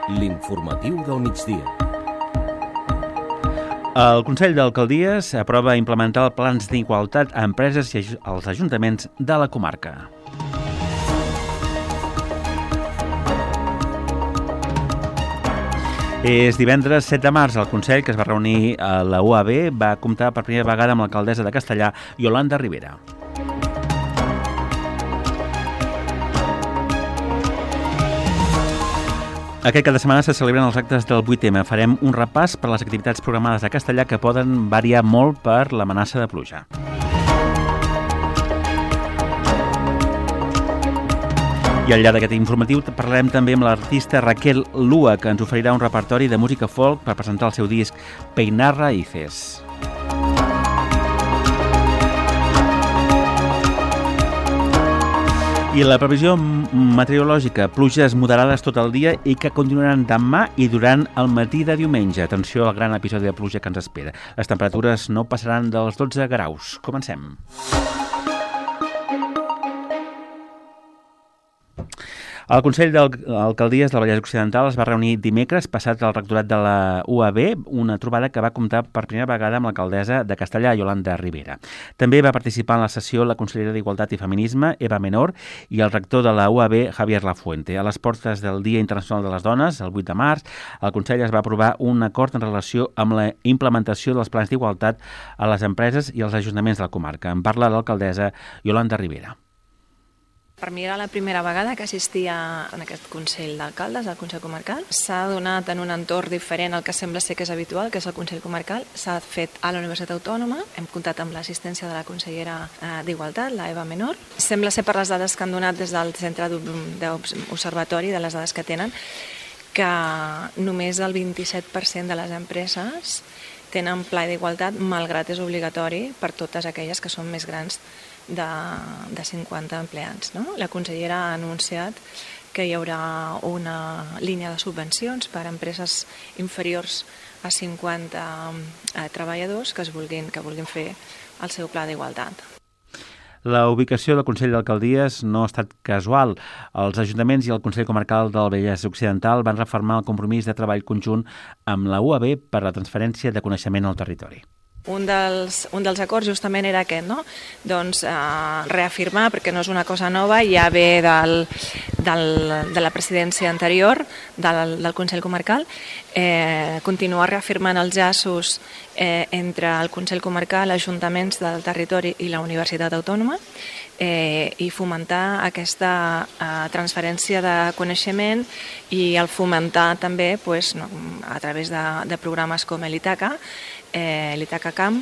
L'informatiu del migdia. El Consell d'Alcaldies aprova implementar plans d'igualtat a empreses i als ajuntaments de la comarca. És divendres 7 de març. El Consell, que es va reunir a la UAB, va comptar per primera vegada amb l'alcaldessa de Castellà, Yolanda Ribera. Aquest cap de setmana se celebren els actes del 8M. Farem un repàs per les activitats programades a Castellà que poden variar molt per l'amenaça de pluja. I al llarg d'aquest informatiu parlarem també amb l'artista Raquel Lua, que ens oferirà un repertori de música folk per presentar el seu disc Peinar Raíces. I la previsió meteorològica, pluges moderades tot el dia i que continuaran demà i durant el matí de diumenge. Atenció al gran episodi de pluja que ens espera. Les temperatures no passaran dels 12 graus. Comencem. El Consell d'Alcaldies del Vallès Occidental es va reunir dimecres passat al rectorat de la UAB, una trobada que va comptar per primera vegada amb l'alcaldessa de Castellà, Yolanda Ribera. També va participar en la sessió la consellera d'Igualtat i Feminisme, Eva Menor, i el rector de la UAB, Javier Lafuente. A les portes del Dia Internacional de les Dones, el 8 de març, el Consell es va aprovar un acord en relació amb la implementació dels plans d'igualtat a les empreses i als ajuntaments de la comarca. En parla l'alcaldessa Yolanda Ribera. Per mi era la primera vegada que assistia en aquest Consell d'Alcaldes, al Consell Comarcal. S'ha donat en un entorn diferent al que sembla ser que és habitual, que és el Consell Comarcal. S'ha fet a la Universitat Autònoma. Hem comptat amb l'assistència de la consellera d'Igualtat, la Eva Menor. Sembla ser per les dades que han donat des del Centre d'Observatori, de les dades que tenen, que només el 27% de les empreses tenen pla d'igualtat, malgrat és obligatori per totes aquelles que són més grans de 50 empleats. No? La consellera ha anunciat que hi haurà una línia de subvencions per a empreses inferiors a 50 treballadors que vulguin fer el seu pla d'igualtat. La ubicació del Consell d'Alcaldies no ha estat casual. Els ajuntaments i el Consell Comarcal del Vallès Occidental van refermar el compromís de treball conjunt amb la UAB per a la transferència de coneixement al territori. Un dels acords justament era aquest, no? Doncs reafirmar, perquè no és una cosa nova, ja ve de la presidència anterior del Consell Comarcal, continuar reafirmant els llaços entre el Consell Comarcal, ajuntaments del territori i la Universitat Autònoma i fomentar aquesta transferència de coneixement i el fomentar també a través de programes com l'Itaca, l'Itaca Camp,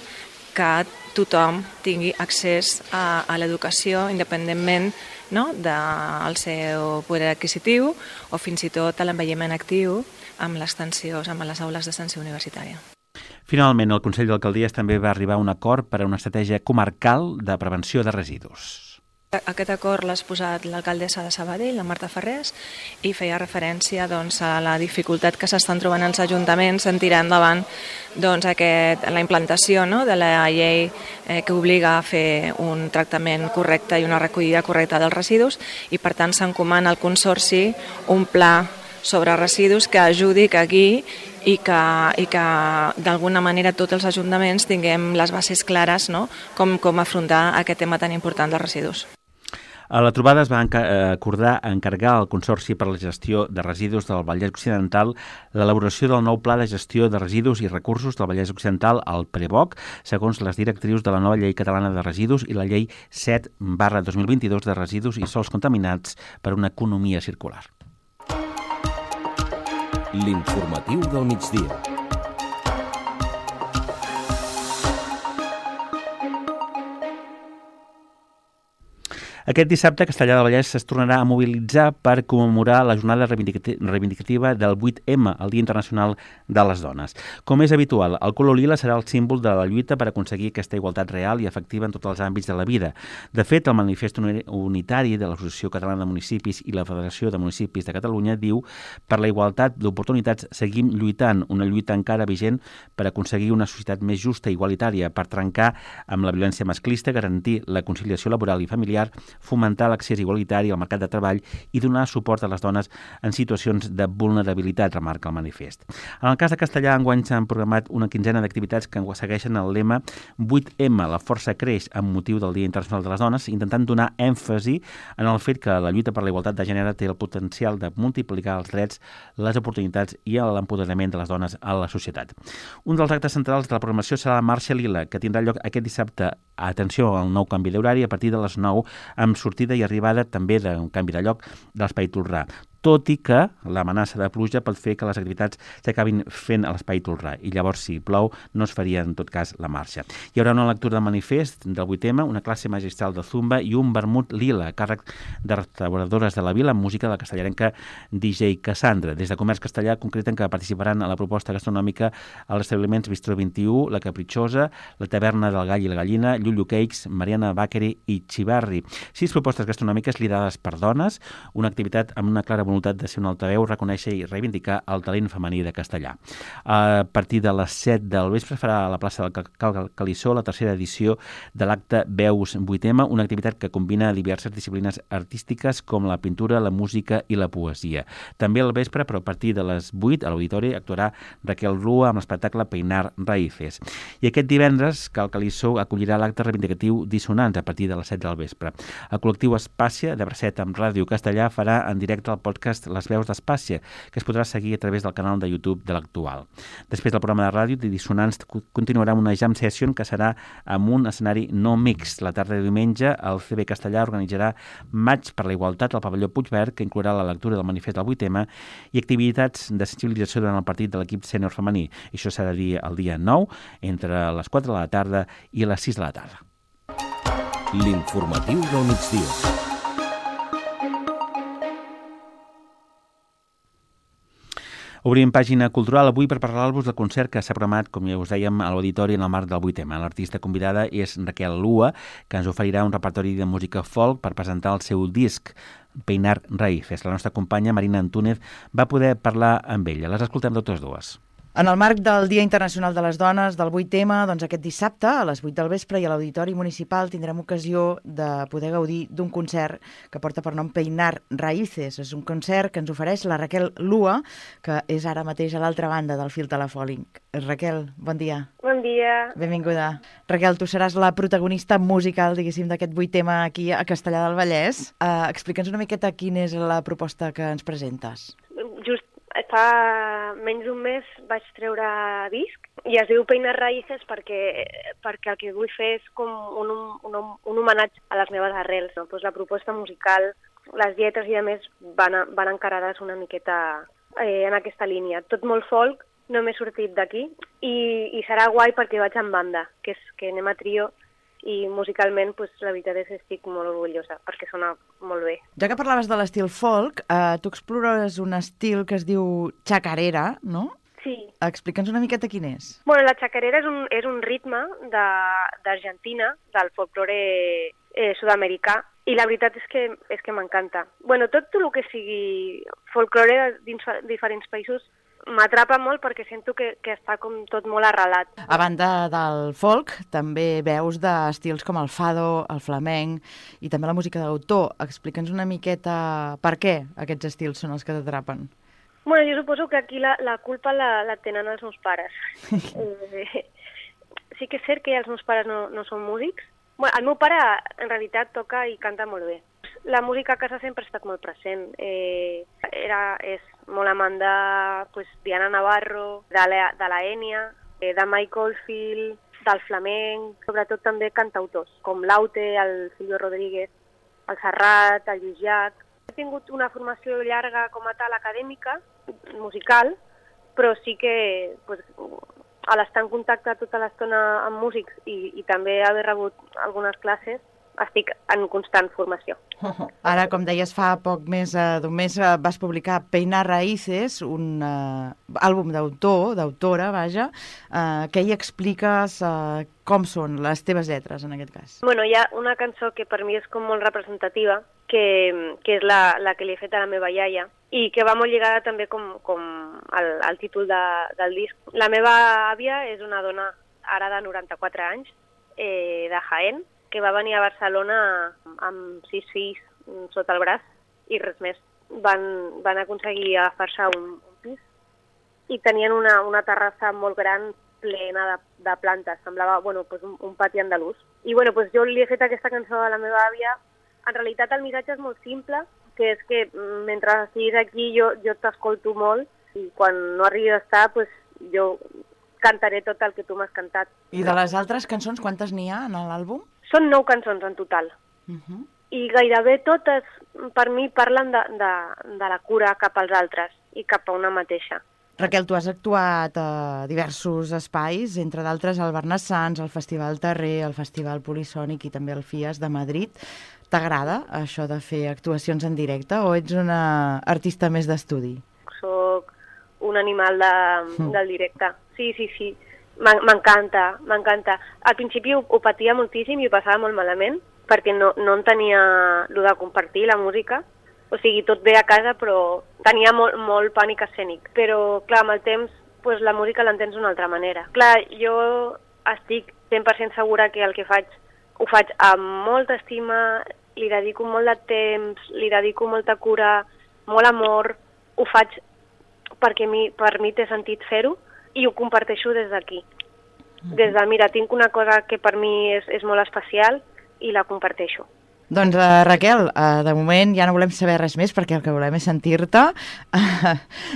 que tothom tingui accés a l'educació independentment del seu poder adquisitiu o fins i tot a l'envelliment actiu amb les aules d'extensió universitària. Finalment, el Consell d'Alcaldies també va arribar a un acord per a una estratègia comarcal de prevenció de residus. Aquest acord l'ha exposat l'alcaldessa de Sabadell, la Marta Ferrés, i feia referència a la dificultat que s'estan trobant els ajuntaments en tirar endavant la implantació de la llei que obliga a fer un tractament correcte i una recollida correcta dels residus, i per tant s'encomana al Consorci un pla sobre residus que ajudi, que guiï i que d'alguna manera tots els ajuntaments tinguem les bases clares com afrontar aquest tema tan important dels residus. A la trobada es va acordar encarregar al Consorci per a la Gestió de Residus del Vallès Occidental l'elaboració del nou Pla de Gestió de Residus i Recursos del Vallès Occidental, el PREVOC, segons les directrius de la nova Llei Catalana de Residus i la Llei 7/2022 de Residus i Sòls Contaminats per una economia circular. L'informatiu del migdia. Aquest dissabte, Castellar del Vallès es tornarà a mobilitzar per commemorar la jornada reivindicativa del 8M, el Dia Internacional de les Dones. Com és habitual, el color lila serà el símbol de la lluita per aconseguir aquesta igualtat real i efectiva en tots els àmbits de la vida. De fet, el manifest unitari de l'Associació Catalana de Municipis i la Federació de Municipis de Catalunya diu: per la igualtat d'oportunitats seguim lluitant, una lluita encara vigent per aconseguir una societat més justa i igualitària, per trencar amb la violència masclista, garantir la conciliació laboral i familiar fomentar l'accés igualitari al mercat de treball i donar suport a les dones en situacions de vulnerabilitat, remarca el manifest. En el cas de Castellà, enguany s'han programat una quinzena d'activitats que segueixen el lema 8M, la força creix, amb motiu del Dia Internacional de les Dones, intentant donar èmfasi en el fet que la lluita per la igualtat de gènere té el potencial de multiplicar els drets, les oportunitats i l'empoderament de les dones a la societat. Un dels actes centrals de la programació serà la Marxa Lila, que tindrà lloc aquest dissabte. Atenció al nou canvi d'horari a partir de les 9, amb sortida i arribada també d'un canvi de lloc de l'Espai Tolrà, tot i que l'amenaça de pluja pot fer que les activitats s'acabin fent a l'Espai Tolrà i llavors, si plou, no es faria en tot cas la marxa. Hi haurà una lectura del manifest del 8M, una classe magistral de zumba i un vermut lila, a càrrec de restauradores de la vila amb música de la castellarenca DJ Cassandra. Des de Comerç Castellà concreten que participaran a la proposta gastronòmica als establiments Bistró 21, La Capritxosa, la Taverna del Gall i la Gallina, Llullo Cakes, Mariana Bakery i Chivarri. 6 propostes gastronòmiques liderades per dones, una activitat amb una clara voluntat de ser un altaveu, reconèixer i reivindicar el talent femení de Castellà. A partir de les 7 del vespre farà a la plaça del Calissó la tercera edició de l'acte Veus 8M, una activitat que combina diverses disciplines artístiques com la pintura, la música i la poesia. També al vespre, però a partir de les 8, a l'auditori actuarà Raquel Rua amb l'espectacle Peinar Raíces. I aquest divendres, que el Calissó acollirà l'acte reivindicatiu Dissonants a partir de les 7 del vespre. El col·lectiu Espàcia, de Bracet amb Ràdio Castellà, farà en directe el podcast Les Veus d'Espàcia, que es podrà seguir a través del canal de YouTube de l'Actual. Després del programa de ràdio, Dissonants continuarà una jam session que serà amb un escenari no mixt. La tarda de diumenge, el CB Castellà organitzarà Maig per la Igualtat al pavelló Puigverd, que inclourà la lectura del manifest del 8M i activitats de sensibilització durant el partit de l'equip sènior femení. Això serà el dia 9, entre les 4 de la tarda i les 6 de la tarda. L'informatiu del migdia. Obrim pàgina cultural avui per parlar-vos del concert que s'ha programat, com ja us dèiem, a l'auditori en el marc del 8M. L'artista convidada és Raquel Lua, que ens oferirà un repertori de música folk per presentar el seu disc, Peinar Raíces. La nostra companya Marina Antúnez va poder parlar amb ella. Les escoltem totes dues. En el marc del Dia Internacional de les Dones, del 8M, doncs aquest dissabte, a les 8 del vespre i a l'Auditori Municipal tindrem ocasió de poder gaudir d'un concert que porta per nom Peinar Raíces. És un concert que ens ofereix la Raquel Lua, que és ara mateix a l'altra banda del fil telefònic. Raquel, bon dia. Bon dia. Benvinguda. Raquel, tu seràs la protagonista musical, diguéssim, d'aquest 8M aquí a Castellar del Vallès. Explica'ns una miqueta quina és la proposta que ens presentes. Just fa menys d'un mes vaig treure disc i es diu Peinar Raíces perquè el que vull fer és com un homenatge a les meves arrels. No? Pues la proposta musical, les lletres i a més van encarades una miqueta en aquesta línia. Tot molt folk, no m'he sortit d'aquí i serà guai perquè vaig en banda, que anem a trio i musicalment pues, la veritat és que estic molt orgullosa perquè sona molt bé. Ja que parlaves de l'estil folk, tu explores un estil que es diu chacarera, no? Sí. Explica'ns una miqueta quin és. Bueno, la chacarera és un ritme d'Argentina, del folklore sud-americà, i la veritat és que m'encanta. Bueno, tot el que sigui folklore dins diferents països m'atrapa molt perquè sento que està com tot molt arrelat. A banda del folk, també veus d'estils com el fado, el flamenc i també la música d'autor. Explica'ns una miqueta per què aquests estils són els que t'atrapen. Bueno, jo suposo que aquí la culpa la tenen els meus pares. Sí que és cert que els meus pares no són músics. Bueno, el meu pare en realitat toca i canta molt bé. La música a casa sempre ha estat molt present. És molt amant de Diana Navarro, de la Enya, de Mike Oldfield, del flamenc, sobretot també cantautors, com l'Aute, el Silvio Rodríguez, el Serrat, el Lluís Llach. He tingut una formació llarga com a tal acadèmica, musical, però sí que a l'estar en contacte tota l'estona amb músics i també haver rebut algunes classes, estic en constant formació. Ara, com deies, fa poc més d'un mes vas publicar Peinar Raíces, un àlbum d'autora, vaja. Què hi expliques? Com són les teves lletres, en aquest cas? Bueno, hi ha una cançó que per mi és com molt representativa, que és la que li he fet a la meva iaia, i que va molt lligada també com al títol del disc. La meva àvia és una dona ara de 94 anys, de Jaén, que va venir a Barcelona amb 6 fills sota el braç i res més. Van aconseguir agafar-se un pis i tenien una terrassa molt gran plena de plantes, semblava un pati andalús. I jo li he fet aquesta cançó a la meva àvia. En realitat el missatge és molt simple, que és que mentre estiguis aquí jo t'escolto molt i quan no arribi a estar jo cantaré tot el que tu m'has cantat. I de les altres cançons, quantes n'hi ha en l'àlbum? Són 9 cançons en total. I gairebé totes, per mi, parlen de la cura cap als altres i cap a una mateixa. Raquel, tu has actuat a diversos espais, entre d'altres al Barnassans, al Festival Terrer, al Festival Polisònic i també al FIAS de Madrid. T'agrada això de fer actuacions en directe o ets una artista més d'estudi? Soc un animal del directe. Sí. M'encanta. Al principi ho patia moltíssim i ho passava molt malament perquè no entenia el de compartir la música. O sigui, tot bé a casa, però tenia molt pànic escènic. Però, clar, amb el temps, la música l'entens d'una altra manera. Clar, jo estic 100% segura que el que faig ho faig amb molta estima, li dedico molt de temps, li dedico molta cura, molt amor, ho faig perquè per mi té sentit fer-ho i ho comparteixo des d'aquí. Des de, mira, tinc una cosa que per mi és molt especial i la comparteixo. Doncs, Raquel, de moment ja no volem saber res més perquè el que volem és sentir-te.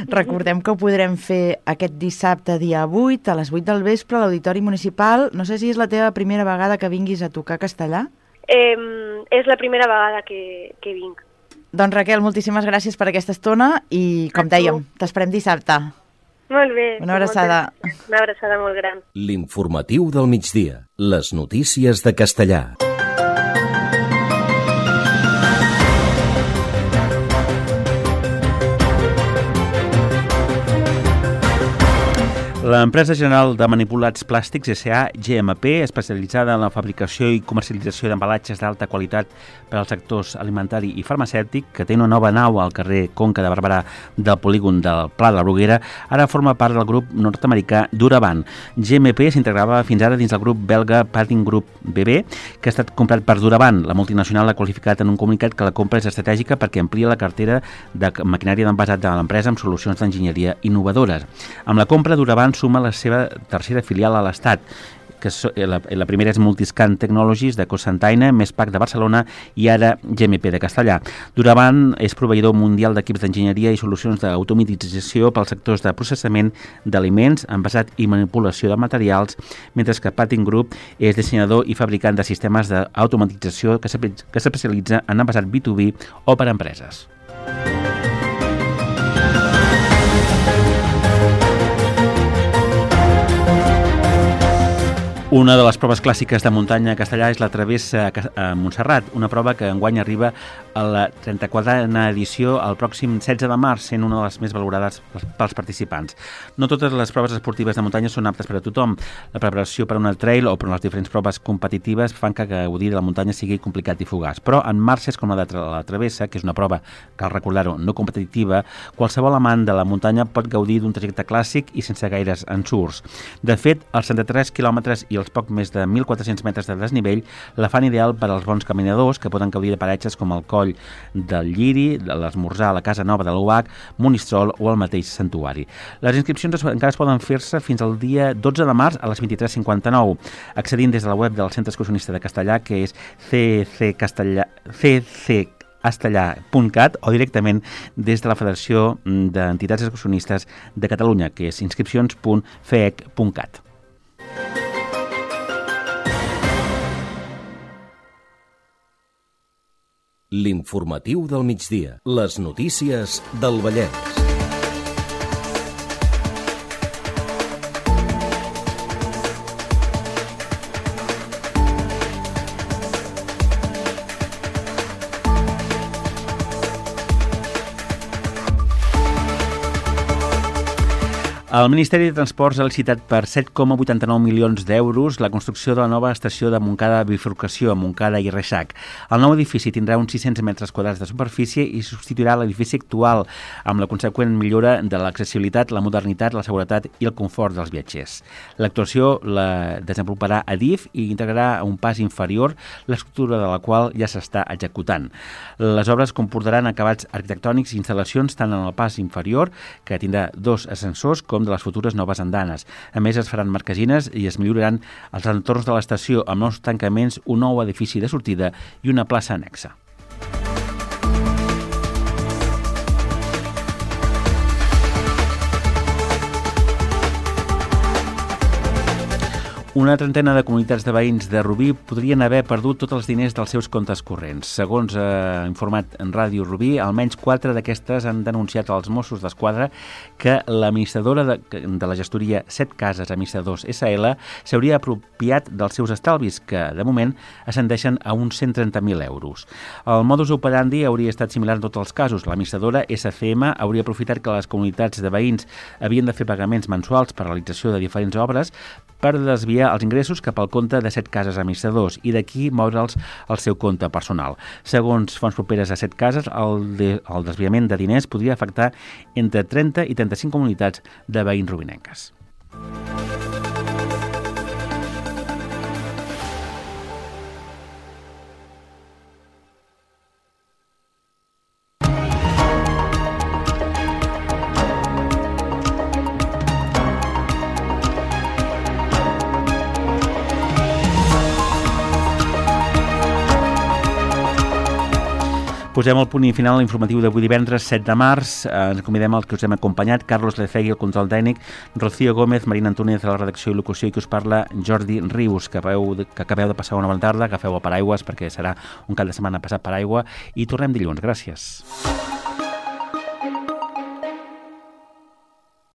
Recordem que ho podrem fer aquest dissabte, dia 8, a les 8 del vespre, a l'Auditori Municipal. No sé si és la teva primera vegada que vinguis a tocar castellà? És la primera vegada que vinc. Doncs, Raquel, moltíssimes gràcies per aquesta estona i, com dèiem, t'esperem dissabte. Molt bé. Una abraçada. Una abraçada molt gran. L'informatiu del migdia. Les notícies de Castellà. L'empresa general de manipulats plàstics S.A. GMP, especialitzada en la fabricació i comercialització d'embalatges d'alta qualitat per als sectors alimentari i farmacèutic, que té una nova nau al carrer Conca de Barberà del polígon del Pla de la Bruguera, ara forma part del grup nord-americà Duraban. GMP s'integrava fins ara dins del grup belga Patin Group BB, que ha estat comprat per Duraban. La multinacional ha qualificat en un comunicat que la compra és estratègica perquè amplia la cartera de maquinària d'envasat de l'empresa amb solucions d'enginyeria innovadores. Amb la compra, Duraban suma la seva tercera filial a l'Estat, que la primera és Multiscan Technologies de Cocentaina, Mespac de Barcelona i ara GMP de Castellà. Duraban és proveïdor mundial d'equips d'enginyeria i solucions d'automatització pels sectors de processament d'aliments, envasat i manipulació de materials, mentre que Patin Group és dissenyador i fabricant de sistemes d'automatització que s'especialitza en envasat B2B o per a empreses. Una de les proves clàssiques de muntanya a Castellà és la travessa a Montserrat, una prova que enguany arriba a la 34a edició el pròxim 16 de març, sent una de les més valorades pels participants. No totes les proves esportives de muntanya són aptes per a tothom. La preparació per a una trail o per a les diferents proves competitives fan que gaudir de la muntanya sigui complicat i fugaç. Però en marxes com la de la travessa, que és una prova, cal recordar-ho, no competitiva, qualsevol amant de la muntanya pot gaudir d'un trajecte clàssic i sense gaires ensurts. De fet, els 73 quilòmetres i els poc més de 1.400 metres de desnivell la fan ideal per als bons caminadors que poden gaudir de paratges com el Coll del Lliri, l'Esmorzar a la Casa Nova de l'UAC, Monistrol o el mateix Santuari. Les inscripcions encara es poden fer-se fins al dia 12 de març a les 23:59, accedint des de la web del Centre Excursionista de Castellà, que és cccastellà.cat, o directament des de la Federació d'Entitats Excursionistes de Catalunya, que és inscripcions.feec.cat. L'informatiu del migdia. Les notícies del Vallès. El Ministeri de Transports ha licitat per 7,89 milions d'euros la construcció de la nova estació de Montcada de bifurcació a Montcada i Reixac. El nou edifici tindrà uns 600 metres quadrats de superfície i substituirà l'edifici actual, amb la conseqüent millora de l'accessibilitat, la modernitat, la seguretat i el confort dels viatgers. L'actuació la desenvoluparà Adif i integrarà un pas inferior, l'estructura de la qual ja s'està executant. Les obres comportaran acabats arquitectònics i instal·lacions tant en el pas inferior, que tindrà 2 ascensors, com de les futures noves andanes. A més, es faran marquesines i es milloraran els entorns de l'estació amb nous tancaments, un nou edifici de sortida i una plaça annexa. Una trentena de comunitats de veïns de Rubí podrien haver perdut tots els diners dels seus comptes corrents. Segons ha informat en Ràdio Rubí, almenys 4 d'aquestes han denunciat als Mossos d'Esquadra que l'administradora de la gestoria 7 Cases Administradors SL s'hauria apropiat dels seus estalvis, que de moment ascendeixen a uns 130.000 euros. El modus operandi hauria estat similar en tots els casos. L'administradora SCM hauria aprofitat que les comunitats de veïns havien de fer pagaments mensuals per realització de diferents obres per desviar els ingressos cap al compte de 7 Cases Administradors i d'aquí moure'ls al seu compte personal. Segons fonts properes a 7 Cases, el desviament de diners podria afectar entre 30 i 35 comunitats de veïns rubinenques. Posem el punt i final a l'informatiu d'avui divendres 7 de març. Ens convidem als que us hem acompanyat: Carlos Lecegui, el control tècnic, Rocío Gómez, Marina Antúnez, de la redacció i locució, i que us parla Jordi Rius. Que acabeu de passar una bona tarda, agafeu el paraigües perquè serà un cap de setmana passat per aigua i tornem dilluns. Gràcies.